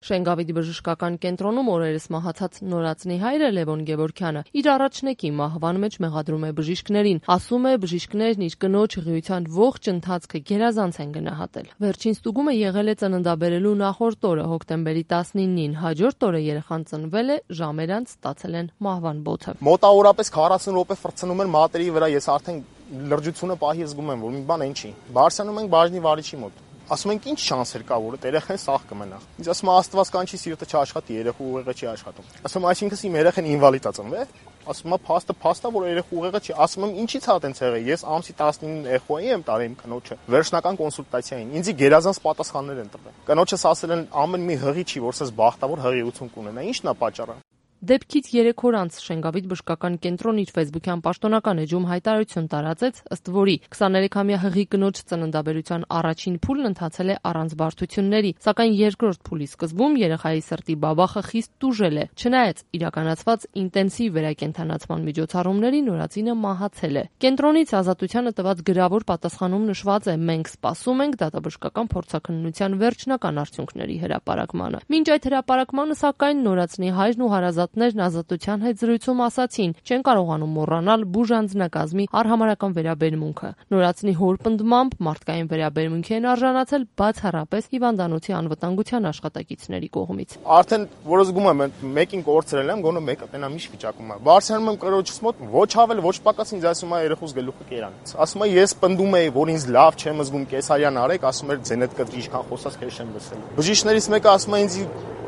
Շենգավիթի բժշկական կենտրոնում օրերս մահացած Նորածնի հայրը Լևոն Գևորգյանը իր առաջնեկի մահվան մեջ մեղադրում է բժիշկներին, ասում է բժիշկներն իր կնոջ ղիության ողջ ընթացքը գերազանց են գնահատել։ Վերջին ստուգումը եղել է ծննդաբերելու նախորդ օրը հոկտեմբերի 19-ին, հաջորդ օրը երեխան ծնվել է, ժամեր անց ստացել են մահվան բոթը։ Մոտավորապես 40 րոպե ֆրցնում են մատերի վրա, ես արդեն լրջությունը պահի զգում եմ, որ մի բան այն չի։ Բարսանում ենք բաժնի վարիչի մոտ։ Ասում ենք ինչ շանսեր կա, որ երեխան սաղ կմնա։ Ինձ ասում է Աստված կանչի սիրտը չաշխատի, երեխու ուղեղը չի աշխատում։ Ասում այսինքն իմ երեխան ինվալիդ է ծնվել։ Ասում է փաստը, որ երեխու ուղեղը չի։ Ասում եմ ինչի՞ց է այդպես եղել։ Ես ամսի 19-ին էխոյի եմ տարել իմ կնոջը։ Վերջնական կոնսուլտացիային։ Ինձ գերազանց պատասխաններ են տվել։ Կնոջս ասել են ամեն մի հղի չի, որ սես բախտավոր հղիություն կունենա։ Ինչն է պատճառը։ Դեպքից 3 օր անց Շենգավիթ բժշկական կենտրոնը իր ֆեյսբուքյան պաշտոնական էջում հայտարարություն տարածեց, ըստ որի 23-ամյա հղի կնոջ ծննդաբերության առաջին փուլն ընթացել է առանց բարդությունների, սակայն երկրորդ փուլի սկզբում երեխայի սրտի բաբախը խիստ տուժել է։ Չնայած իրականացված ինտենսիվ վերակենդանացման միջոցառումների Նորածինը մահացել է։ Կենտրոնից Ազատությանը տված գրավոր պատասխանում նշված է. մենք սպասում ենք դատաբժշկական փորձաքննության վերջնական արդյունքների հրապարակմանը։ Մինչ այդ հրապարակմանը, սակայն, Նորածնի հայրն ու հարազատներն Ազատության հետ զրույցում ասացին, չեն կարողանում մոռանալ բուժանձնակազմի արհամարհական վերաբերմունքը։ Նորածնի հոր պնդմամբ մարդկային վերաբերմունքի են արժանացել բացառապես հիվանդանոցի անվտանգության աշխատակիցների կողմից։ Արդեն որ զգում եմ մեկին կորցրել եմ, գոնե մեկը տենամ ինչ վիճակում է։ Բարձրանում եմ կրոջս մոտ, ոչ ավել, ոչ պակաս ինձ ասում է երեխուս գլուխը կերանից։ Ասում է ես պնդում եի, որ ինձ լավ չեմ զգում, կեսարյան արեք, ասում էր ձենդ կտրի ինչքան խոսած քեզ չեմ լսել։ Բժիշկներից մեկը ասում է ինձ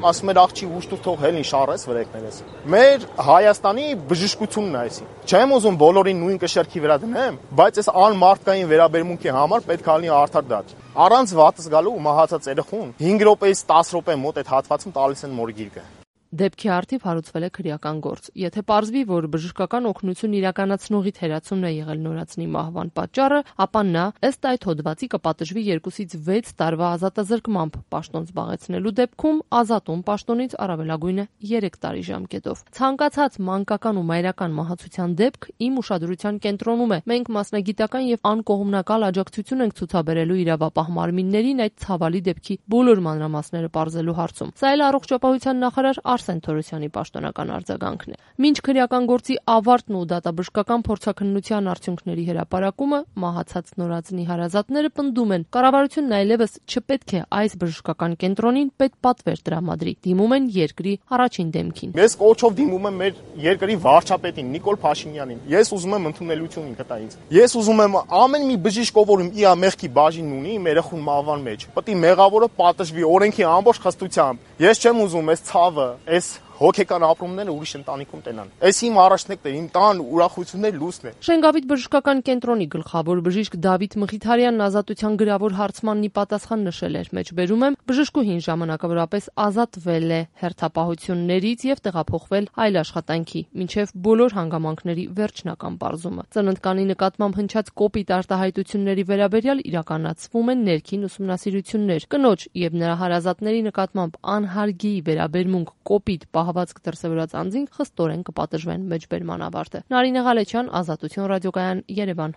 ասում էր աղջի ուշտուր թող հելին շարես վրեքներես։ Մեր Հայաստանի բժշկությունն է այսի։ Չեմ ուզում բոլորին նույն կշերքի վրա դնեմ, բայց այս անմարդկային վերաբերմունքի համար պետք է լինի արդար դատ։ Առանց վատս գալու մահացած երեխուն 5 րոպեից 10 րոպե մոտ այդ հատվածում տալիս են մորգիրկը։ Դեպքի արդիվ հարուցվել է քրեական գործ։ Եթե պարզվի, որ բժշկական օգնություն իրականացնողի թերացումն է եղել Նորածնի մահվան պատճառը, ապա նա ըստ այդ հոդվածի կպատժվի 2-ից 6 տարվա ազատազրկմամբ, պաշտոն զբաղեցնելու դեպքում ազատում պաշտոնից առավելագույնը 3 տարի ժամկետով։ Ցանկացած մանկական ու մայրական մահացության դեպք իմ ուշադրության կենտրոնում է։ Մենք մասնագիտական եւ անկողմնակալ աջակցություն ենք ցուցաբերելու իրավապահ մարմիններին այդ ցավալի դեպքի բոլոր մանրամասները պարզելու հարցում։ Սա էլ առողջապահության նախարար Արսեն Թորոսյանի պաշտոնական արձագանքն է։ Մինչ քրեական գործի ավարտն ու դատաբժշկական փորձաքննության արդյունքների հրապարակումը մահացած Նորածնի հարազատները պնդում են, կառավարությունն այլևս չպետք է այս բժշկական կենտրոնին պետպատվեր տրամադրի, դիմում են երկրի առաջին դեմքին։ Ես կոչով դիմում եմ մեր երկրի վարչապետին Նիկոլ Փաշինյանին։ Ես ուզում եմ ընդունելություն ինքը տա ինձ։ Ես ուզում եմ ամեն մի բժիշկ, ով իր մեղքի բաժին ունի, մեր երեխուն մահվան մեջ, պետք է մեղավորը պատժվի օրենքի ամբողջ խստությամբ։ Ես չեմ ուզում այս ցավը, այս հոգեկան ապրումները ուրիշ ընտանիքում տենան։ Այս իմ առաջնեկն է, իմ տան ուրախություններ լույսն է։ Շենգավիթ բժշկական կենտրոնի գլխավոր բժիշկ Դավիթ Մխիթարյանն Ազատության գրավոր հարցմանն ի պատասխան նշել էր. մեջբերում եմ, բժշկուհին ժամանակավորապես ազատվել է հերթապահություններից եւ տեղափոխվել այլ աշխատանքի, մինչեւ բոլոր հանգամանքների վերջնական պարզումը։ Ծննդկանի նկատմամբ հնչած կոպիտ արտահայտությունների վերաբերյալ իրականացվում են ներքին ուսումնասիրություններ։ Կնոջ եւ նրա հարազատների նկատմամբ անհարգի վերաբերմունք, կոպիտ պահվածք դրսևորած անձին խստորեն կպատժվեն մեջբերման ավարտը։ Նարինե Ղալեչյան, Ազատություն ռադիոկայան, Երևան։